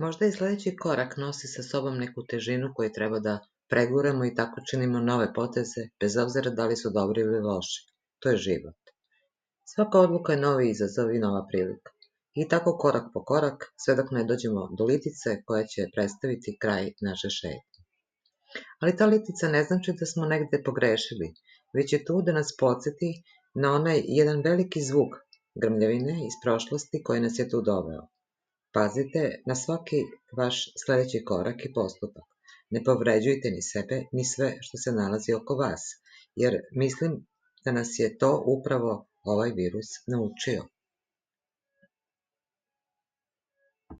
Možda i sledeći korak nosi sa sobom neku težinu koju treba da preguramo i tako činimo nove poteze, bez obzira da li su dobri ili loši. To je život. Svaka odluka je novi izazov i nova prilika. I tako korak po korak, sve dok ne dođemo do litice koja će predstaviti kraj naše šetnje. Ali ta litica ne znači da smo negde pogrešili, već je tu da nas podsjeti na onaj jedan veliki zvuk grmljavine iz prošlosti koji nas je tu doveo. Pazite na svaki vaš sledeći korak i postupak. Ne povređujte ni sebe, ni sve što se nalazi oko vas, jer mislim da nas je to upravo ovaj virus naučio.